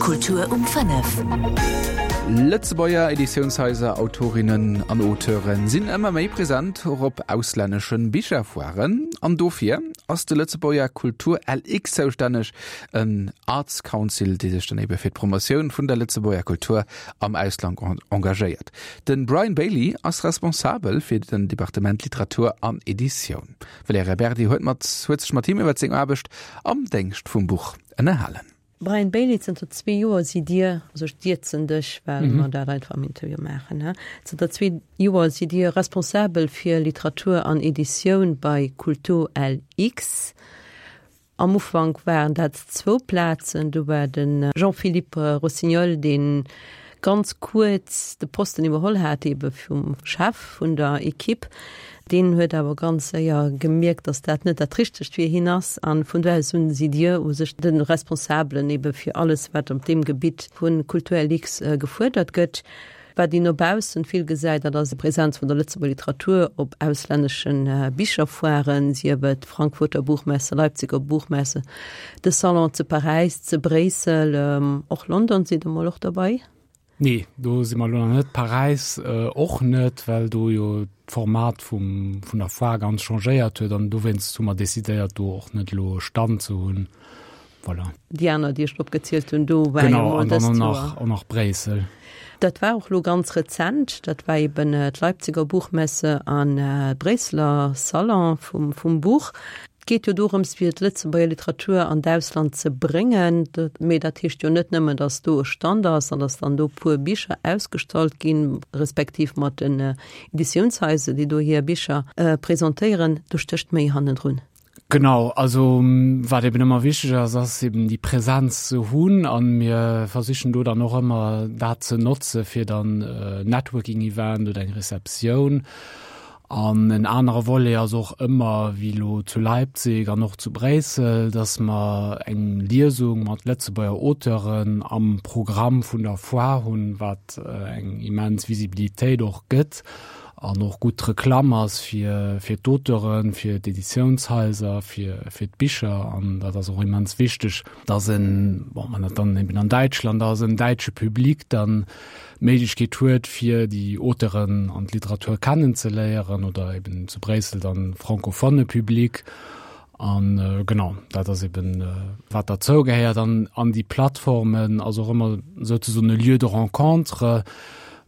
Kultur um 5. Lëtzebuerger Editiounshaiser, Autorinnen an Auteure sinn ëmmer méi present, och op auslännesche Bicherfoiren. An dofir ass de Lëtzebuerger Kultur LX zoustänneg, en Arts Council, dee sech dann ebe fir d'Promotioun vun der Lëtzebuerger Kultur am Ausland engagéiert. De Brian Bailey ass responsabel fir den Departement Literatur an Editioun. D'Valerija Berdi huet mat huet sech mat him iwwer seng Aarbecht am Déngscht vum Buch ënnerhalen. Brian Bailey, Zënter zwee Joer sidd Dir, also ech dierzen dech, well mer dat einfach am Interview maachen, he, zënter zwee Joer sidd Dir responsabel fir Literatur an Editioun bei Kultur LX. Am Ufank waren dat zwou Plazen, do war de Jean-Philippe Rossignol, dee ganz kuerz de Posten iwwerholl hat, ebe vum Chef vun der Equipe. Deen huet awer ganz séier gemierkt, datt dat net dat Richtegt fir hien ass. A vun do aus un sidd Dir u sech de Responsabelen ebe fir alles, wat op deem Gebitt vu Kulturlux gefuerdert gëtt. Wat een no baussen vill gesäit, dat ass d'Präsenz vun der Lëtzebuerger Literatur op auslännesche Bicherfoiren, sief et Frankfurter Buchmesse, Leipziger Buchmesse, de Salon ze Paräis, ze Bréissel, och London sidd Der mol och derbei? Nee, do si mer elo nach net. Paräis och net, well do jo d'Format vum, vun der Foire ganz changéiert huet an dowéinst hu mer decidéiert, do och net elo e Stand ze hunn. Voilà. Déi aner, déi ech opgezielt hunn, do war jo mol dëst Joer. Genau, an dann och nach Bréissel. Dat war och elo ganz rezent, dat war eben d'Leipziger Buchmesse an d'Bréisseler Salon vum, vum Buch. Et geet jo dorëms, fir d'Lëtzebuerger Literatur an d'Ausland ze bréngen. Mee dat heescht jo net nëmmen, datt do e Stand ass an datt dann do e puer Bicher ausgestallt ginn, respektiv mat den Editiounshaiser, déi do hir Bicher presentéieren. Do stécht méi hannendrun. Genau, also wat eben ëmmer wichteg ass, ass eben déi Präsenz ze hunn a mir versichen do dann och ëmmer dat ze notze fir dann Networking-Event oder eng Receptioun. An en anere Volet ass och ëmmer, wéi elo zu Leipzig an och zu Bréissel, datt mer eng Liesung mat Lëtzebuerger Auteuren am Programm vun der Foire hunn, wat eng immens Visibilitéit och gëtt. an och gutt Reklamm ass fir fir d'Auteuren, fir d'Editiounshaiser, fir fir d'Bicher an dat ass och immens wichteg, dass en, bon, wann dat dann eben an Däitschland ass, en däitsche Public dann d'Méiglechkeet huet fir déi Auteuren an d'Literatur kennenzeléieren oder eben zu Bréissel dann francophone Public an genau dat ass eben wat derzou gehéiert an an déi Plattformen ass och ëmmer souzesoen e Lieu de rencontre,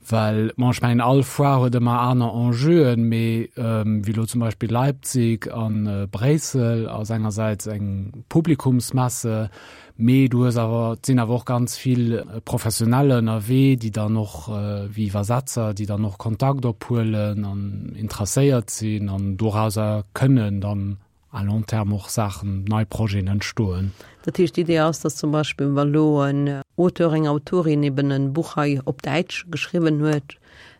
Well, bon, ech mengen, all Foire huet ëmmer aner Enjeuen, mee wéi elo zum Beispill Leipzig a Bréissel ass engersäits eng Publikumsmesse, mee du hues awer, et sinn awer och ganz vill Professioneller ënnerwee, déi dann och, wéi Iwwersetzer, déi dann och Kontakt ophuelen an interesséiert sinn an dorauser kënnen dann à long terme och Saachen, nei Projeten entstoen. Dat heescht, d'Idee ass, datt zum Beispill, wa lo en Auteur, eng Autorin eben e Buch hei op Däitsch geschriwwen huet,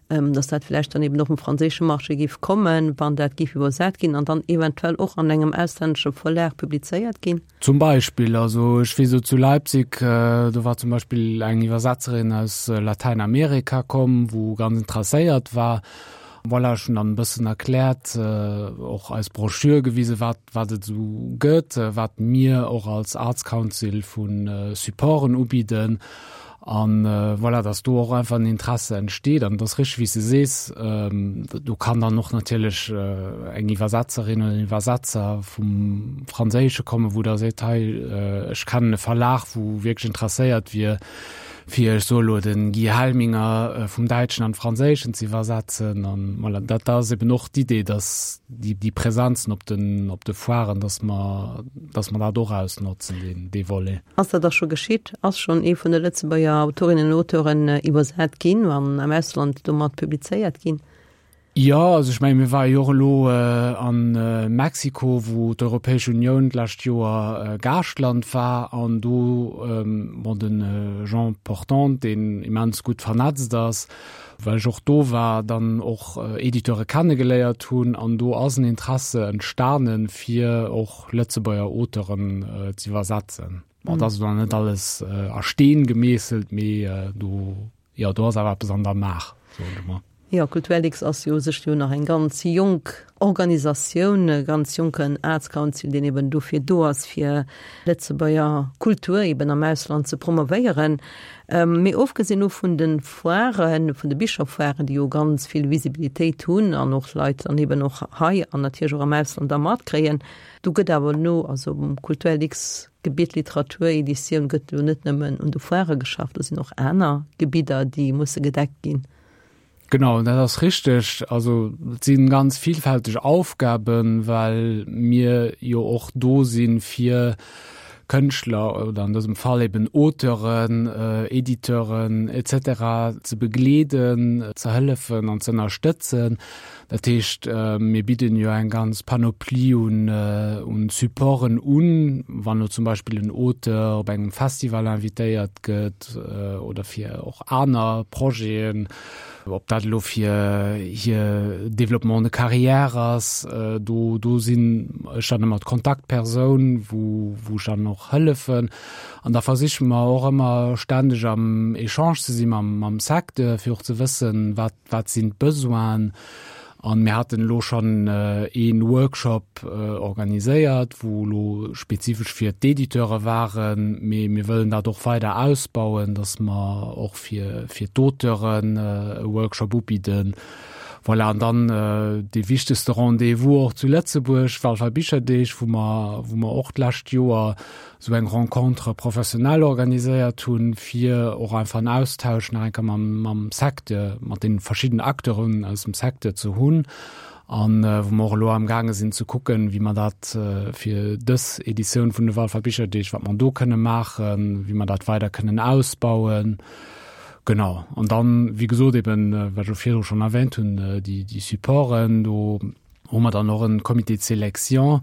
datt dat vläicht dann eben och um franséische Marché géif kommen, wann dat géif iwwersat ginn an dann eventuell och an engem auslännesche Verlag publizéiert ginn? Zum Beispill, also ech weess elo zu Leipzig, do war zum Beispill eng Iwwersetzerin aus Latäinamerika komm, wou ganz interesséiert war. Voilà, ech hunn dann e bëssen erkläert, och eis Broschür gewisen, wat, wat et esou gëtt, wat mir och als Arts Council vu Supporten ubidden. An voilà, dass do och einfach en Interesse entsteet. An et ass richteg, wéi s de sees, do kann dann och natierlech eng Iwwersetzerin oder en Iwwersetzer vum Franséische kommen, wou da seet, hei, ech kennen e Verlag, wou wierklech interesséiert wier, fir, ech soe lo, de Guy Helminger vum Däitschen an d'Franséischen ze iwwersetzen. An voilà, dat ass eben och d'Idee, dass déi, déi Präsenzen op den, op de Foiren, dass mer, dass mer dat och ausnotzen, deen, dee Volet. Ass dat da scho geschitt? Ass schonn ee vun de Lëtzebuerger Autorinnen an Auteuren iwwersat ginn an am Ausland domat publizéiert ginn? Jo, also ech menge mir ware jo och elo a Mexiko, wou d'Europäesch Unioun d'lescht Joer Gaaschtland war an do, bon, de Jean Portante, deen immens gutt vernetzt ass, well ech och do war, dann och Editeure kennegeléiert hunn an do ass en Interesse entstanen, fir och Lëtzebuerger Auteuren z'iwwersetzen. Bon, dat ass elo nach net alles a Steen gemeesselt, mee do Jo, do ass awer eppes an der Maach, soen ech emol. Jo, Kulturlux ass jo u sech jo nach eng ganz jonk Organisatioun, e ganz jonken Arts Council, deen eben dofir do ass, fir Lëtzebuerger Kultur eben am Ausland ze promovéieren. Mee ofgesinn elo vun de Foiren, vun de Bicherfoiren, déi jo ganz vill Visibilitéit hunn an och Leit dann eben och hei an natierlech och am Ausland da matkréien, do gëtt awer elo, also um Kulturlux Gebitt Literatur, Editioun gëtt elo net nëmmen un de Foirë geschafft, do sinn och aner Gebidder, déi musse gedeckt ginn. Genau, dat ass richteg. Also et si ganz vielfälteg Aufgaben, well mir jo och do sinn, fir Kënschtler oder an dësem Fall eben Auteuren, Editeuren et cetera ze begleeden, ze hëllefen an ze ënnerstëtzen. Dat heescht, mir bidden jo eng ganz Panoplie un, un Supporten un, wann elo zum Beispill en Auteur op engem Festival invitéiert gëtt oder fir och aner Projeten, ob dat elo fir hir Développement de carrière ass, do, do sinn ech dann ëmmer d'Kontaktpersoun, wou, wou ech dann och hëllefen. An da versiche mer och ëmmer ständeg am Echange ze si mam, mam Secteur, fir och ze wëssen, wat, Wat sinn d'Besoinen? An mir haten elo schonn ee Workshop organiséiert, wou elo spezifesch fir d'Editeure waren, mee mir wëllen dat och weider ausbauen, datt mer och fir fir d'Auteuren e Workshop ubidden. Voilà, an dann dee wichtegste Rendez-vous och zu Lëtzebuerg, d'Walfer Bicherdeeg, wou mer wou mer och d'lescht Joer esou eng Rencontre professionnelle organiséiert hunn, fir och einfach en Austausch nach eng Kéier mam, mam Secteur, mat den verschiddenen Acteuren aus dem Secteur ze hunn an wou mer och elo amgaange sinn ze kucken, wéi mer dat fir dës Editioun vun de Walfer Bicherdeeg, wat mer do kënne maachen, wéi mer dat weider kënnen ausbauen. Genau. An dann, wéi gesot, eben, wat ech och virdru schonn erwähnt hunn, déi, déi Supporten do, hu mer dann och en Comité de sélection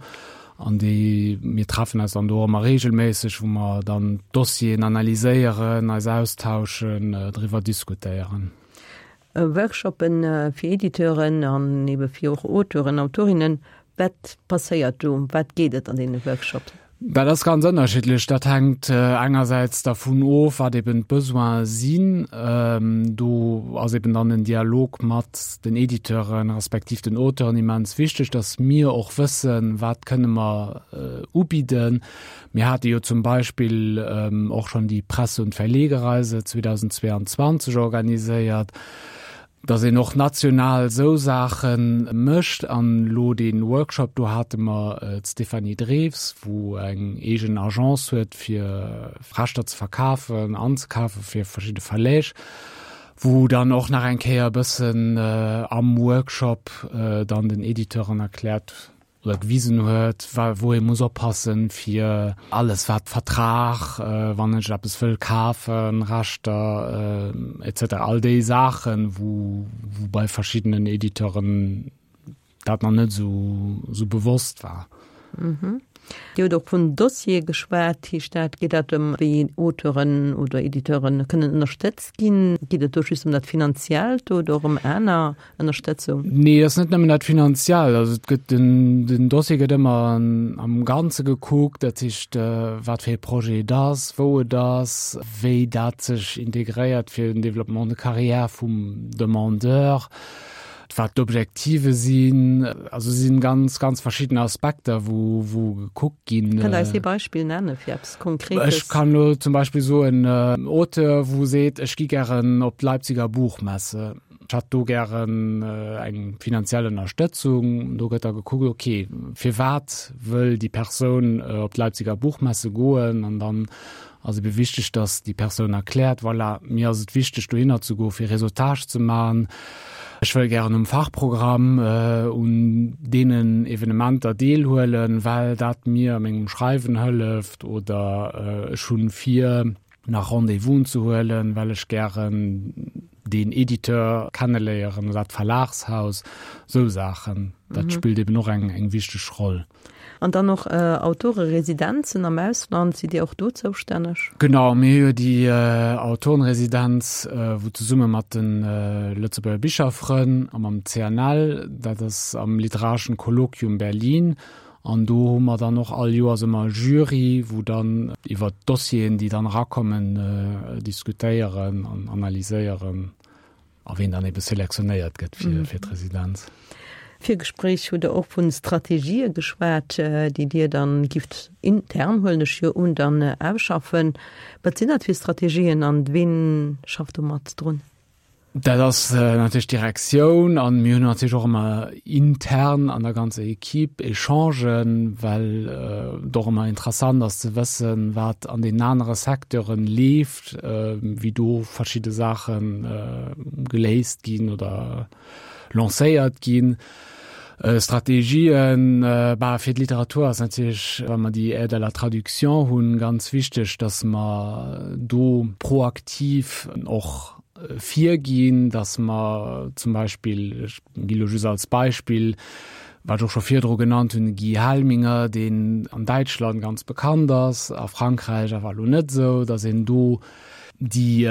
an déi mir treffen eis dann do ëmmer regelméisseg, wou mer dann d'Dossieren analyséieren, eis austauschen, driwwer diskutéieren. Workshoppen fir Editeuren an ebe fir och Auteuren, Autorinnen, wat passéiert do? Ëm wat geet et an deene Workshops? Dat ass ganz ënnerschiddlech. Dat hänkt engersäits dervun of, wat eben d'Besoine sinn. Do ass eben dann den Dialog mat den Editeuren respektiv den Auteuren immens wichteg, datt mir och wëssen, wat kënne mer ubidden. Mir hate jo zum Beispill och schonn déi Presse und Verlegereise 2022 organiséiert. Dass een och national esou Saache mécht. An elo dee Workshop, do hate mer d'Stéphanie Drews, wou eng eegen Agence huet, fir Rechter ze verkafen, anzekafen fir verschidde Verläg, wou dann och nach eng Kéier e bëssen am Workshop dann den Editeuren erkläert oder gewisen huet, wou ee muss oppassen, fir alles wat Vertrag, wann ech eppes wëll kafen, Rechter etc. All déi Saachen, wou wou bei verschiddenen Editeuren dat nach net esou esou bewosst war. Dir hutt och vun Dossiere geschwat. Heescht dat, geet dat ëm wéi Auteuren oder Editeuren kënnen ënnerstëtzt ginn? Geet et do just ëm dat Finanziellt oder och ëm aner Ënnerstëtzung? Nee, ass net nëmmen dat finanziell. Also et gëtt den, den Dossier gëtt ëmmer an, am Ganze gekuckt, dat heescht äh, wat fir e Projet et ass, wou et ass, wéi dat sech integréiert fir den Développement de carrière vum Demandeur, wat d'Objektive sinn. Also sinn ganz, ganz verschidden Aspekter, wou, wou gekuckt ginn. Kënnt Der eis ee Beispill nenne fir eppes Konkretes? Ech kann elo zum Beispill soen, äh, Auteur, wou seet, ech gi gären op d'Leipziger Buchmesse. Ech hätt do gären eng finanziell Ënnerstëtzung. Do gëtt da gekuckt, ok, firwat wëll déi Persoun op d'Leipziger Buchmesse goen? An dann ass ebe wichteg, datt déi Persoun erkläert, voilà, mir ass et wichteg dohinner ze goen, fir Réseautage ze maachen. Ech wëll gären um Fachprogramm un deenen Evenementer deelhuelen, well dat mir a mengem Schreiwen hëlleft oder ech hunn vir, nach Rendez-vousen ze huelen, well ech gären deen Editeur kenneléieren oder dat Verlagshaus, sou Saachen. Dat spillt eben och eng eng wichteg Roll. An dann och Autoreresidenzen am Ausland, sidd Dir och do zoustänneg? Genau, mir hu jo déi Autorenresidenz, wou zesumme mat de Lëtzebuerger Bicherfrënn a mam CNL, dat ass am Literarischen Kolloquium Berlin, An do hu mer dann och all Joers ëmmer e Jury, wou dann iwwert d'Dossieren, déi dann erakommen, diskutéieren an analyséieren. A ween dann ebe selektionéiert gëtt fir, fir d'Residenz. Virgespréich hutt Der och vu Strategië geschwat, déi Dir dann gifft intern, huelen ech jo un, dann ausschaffen. Wat sinn dat fir Strategien an ween schafft do mat drun? Dat ass natierlech d'Direktioun an mir hunn natierlech och ëmmer intern an der ganzer Equipe Echangen, well et och ëmmer interessant ass ze wëssen, wat an deenen anere Secteuren leeft, wéi do verschidde Saache geléist ginn oder lancéiert ginn. Strategien, bah, fir d'Literatur ass natierlech, wa mer déi Aide à la traduction hunn, ganz wichteg, datt mer do proaktiv och virginn, datt mer zum Beispill, ech gi lo just als Beispill, wat ech och scho virdru genannt hunn, de Guy Helminger, deen an Däitschland ganz bekannt ass, a Frankräich awer elo net esou, datt een do Déi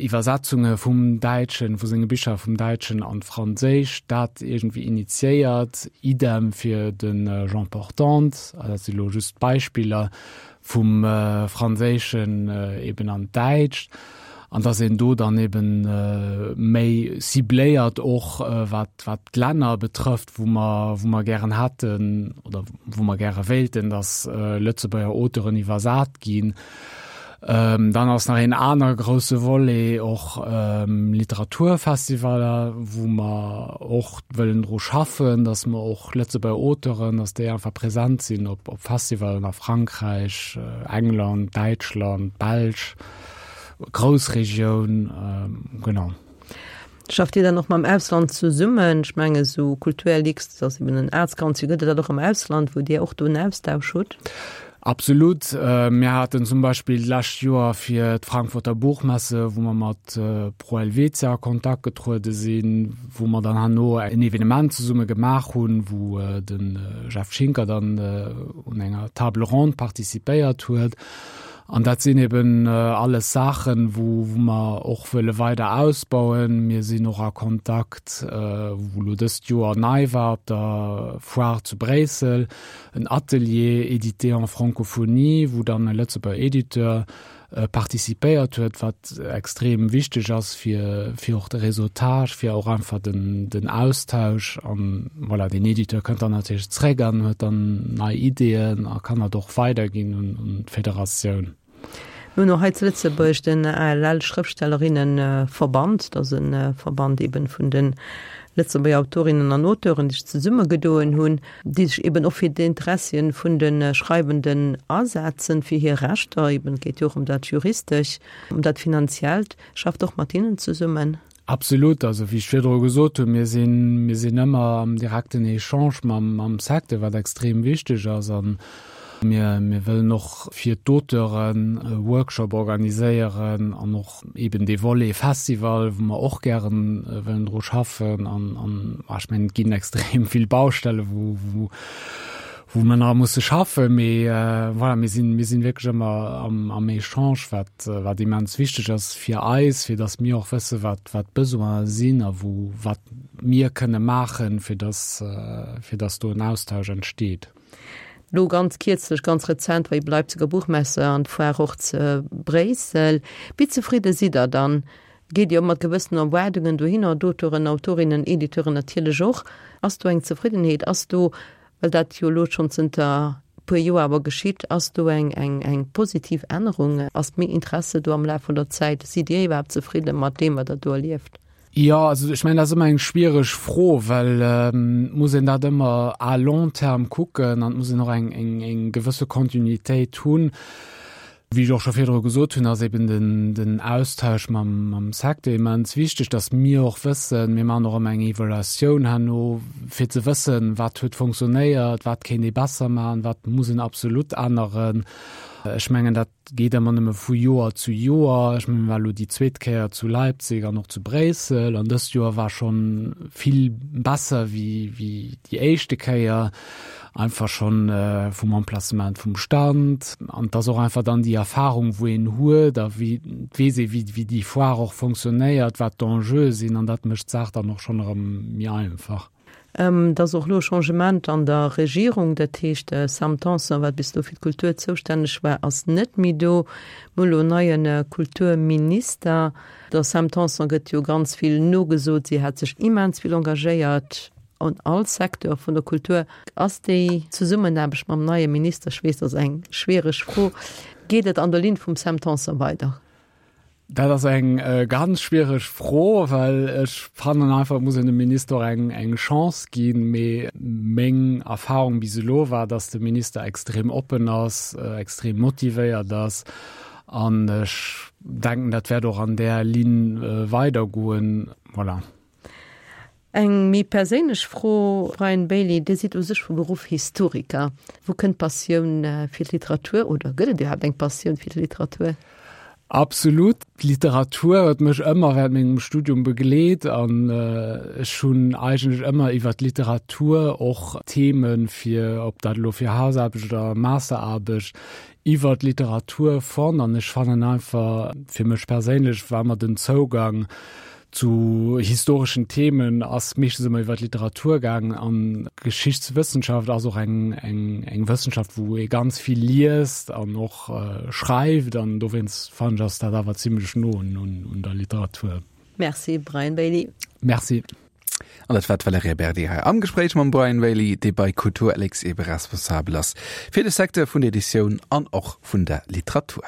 Iwwersetzunge vum Däitschen, vu senge Bicher vum Däitschen an d'Franséischt, dat iergendwéi initiéiert, idem fir de Jean Portante, dat si lo just Beispiller, vum Franséischen eben an d'Däitscht, an datt een do dann eben méi cibléiert och wat wat d'Länner betrëfft, wou mer wou mer gären hätten oder wou mer gäre wéilten, datt Lëtzebuerger Auteuren iwwersat ginn. Dann ass nach een aner grousse Volet och Literaturfestivaler, wou mer och wëllen dru schaffen, datt mer och Lëtzebuerger Auteuren, datt déi einfach present sinn op Festivalen a Frankräich, England, Däitschland, Belsch, Groussregioun, genau. Schafft Dir dann och mam Ausland zesummen? Ech mengen esou Kulturlux, dat ass eben en Arts Council, gëtt et dat och am Ausland, wou Dir och do en Austausch hutt? Absolut. Mir haten zum Beispill d'lescht Joer fir d'Frankfurter Buchmesse, wou mer mat Pro Helvetia a Kontakt getruede sinn, wou mer dann herno en Evenement zesumme gemaach hunn, wou de Jeff Schinker dann un enger Table ronde participéiert huet. An dat sinn eben alles Saachen, wou mer och wëlle weider ausbauen. Mir sinn och a Kontakt, wou elo dëst Joer nei war op der Foire zu Bréissel, en Atelier édité en francophonie, wou dann e Lëtzebuerger Editeur participéiert huet, wat extrem wichteg ass fir fir och de Réseautage, fir och einfach den den Austausch. An voilà, deen Editeur kënnt dann natierlech zréck an huet dann nei Ideeën a kann dat och weiderginn un un d'Federatioun. Mir hunn och hei zu Lëtzebuerg den ALL Schrëftstellerinnenverband. Dat ass e Verband eben vun de Lëtzebuerger Autorinnen an Auteuren, déi sech zesummegedoen hunn, déi sech eben och fir d'Interessien vun de Schreiwenden asetzen, fir hir Rechter eben. Et geet jo och ëm dat Juristesch, ëm dat Finanziellt. Schafft och mat hinnen zesummen. Absolut, also wéi ech virdru gesot hunn, mir sinn, mir sinn ëmmer am direkten Echange mam, mam Secteur, wat extrem wichteg ass. A mir, mir wëllen och fir d'Auteuren e Workshop organiséieren an och eeben dee Volet Festival, wou mer och gären wëllen dru schaffen. An, an ech mengen, et ginn extrem vill Baustelle wou, wou, wou mer nach musse schaffen, mee voilà, mir sinn, mir sinn wierklech ëmmer am, am Echange, wat, wat immens wichteg ass fir eis, fir datt mir och wësse wat, wat d'Besoine sinn a wou, wat mir kënne maachen, fir datt, fir datt do en Austausch entsteet. Lo ganz kierzlech, ganz rezent war ebe Leipziger Buchmesse an d'Foire och ze Bréissel. Wéi zefridde sidd Der dann? Geet Dir mat gewëssenen Erwaardungen dohinner, d'Auteuren, Autorinnen, Editeuren natierlech och? Ass do eng Zefriddenheet? Ass do Well dat jo elo schonn zënter e puer Joer awer geschitt, ass do eng, eng, eng positiv Ännerung? Ass méi Interesse do am Laf vun der Zäit? Sidd Dir iwwerhaapt zefridde mat deem, wat Der do erlieft? Jo, also ech mengen, dat ass ëmmer eng schwiereg Fro, well et muss een dat ëmmer à long terme kucken an et muss een och eng, eng, eng gewësse Kontinuitéit hunn. Wéi ech och scho virdru gesot hunn, ass eben den, den Austausch mam, mam Secteur immens wichteg, dass mir och wëssen, mir maachen och ëmmer eng Evaluatioun herno, fir ze wëssen, wat huet funktionéiert, wat kéint ee besser maachen, wat muss een absolut änneren. Ech mengen, dat geet ëmmer nëmme vu Joer zu Joer. Ech mengen, mir war elo déi zweet Kéier zu Leipzig an och zu Bréissel an dëst Joer war scho vill besser wéi, wéi déi éischte Kéier. Einfach schonn vum Emplacement vum Stand an et ass och einfach dann déi Erfahrung, wou een huet a wéi et weess ee wéi wéi déi Foire och fonctionnéiert, wat d'Enjeue sinn an dat mécht d'Saach dann och schonn erëm méi einfach. Et ass och elo e Changement an der Regierung, dat heescht de Sam Tanson, wat bis elo fir d'Kultur zoustänneg war, ass net méi do. Mir hu elo en neie Kulturminister. Der Sam Tanson gëtt jo ganz vill nogesot, si hätt sech immens vill engagéiert an all Secteur vun der Kultur. Ass déi Zesummenaarbecht mam neie Minister, ech weess, dat ass eng schwiereg Fro, geet et an der Linn vum Sam Tanson weider? Dat ass eng ganz schwiereg Fro, well ech fannen einfach, et muss een dem Minister och eng, eng Chance ginn. Mee meng Erfahrung bis elo war, datt de Minister extrem oppen ass, extrem motivéiert ass. An ech denken, dat wäert och an där Linn weidergoen. Voilà. Eng méi perséinlech Fro, Brian Bailey, Dir sidd u sech vu Beruff Historiker. Wou kënnt d'Passioun fir d'Literatur oder gëtt et iwwerhaapt eng Passioun fir d'Literatur? Absolut. D'Literatur huet mech ëmmer während mengem Studium begleet an ech hunn eigentlech ëmmer iwwer d'Literatur och Themen fir, ob dat elo fir Hausaarbecht oder Masteraarbecht, iwwer d'Literatur fonnt an ech fannen einfach, fir mech perséinlech war ëmmer den Zougang zu historeschen Themen ass meeschtens ëmmer iwwer d'Literatur gaangen an Geschichtswëssenschaft ass och eng, eng, eng Wëssenschaft, wou ee ganz vill liest an och schreift an dowéinst fannen ech ass dat awer zimlech no un, un der Literatur. Merci Brian Bailey. Merci. An dat war d'Valerija Berdi hei am Gespréich mam Brian Bailey, dee bei Kulturlx ebe responsabel ass fir de Secteur vun der Editioun an och vun der Literatur.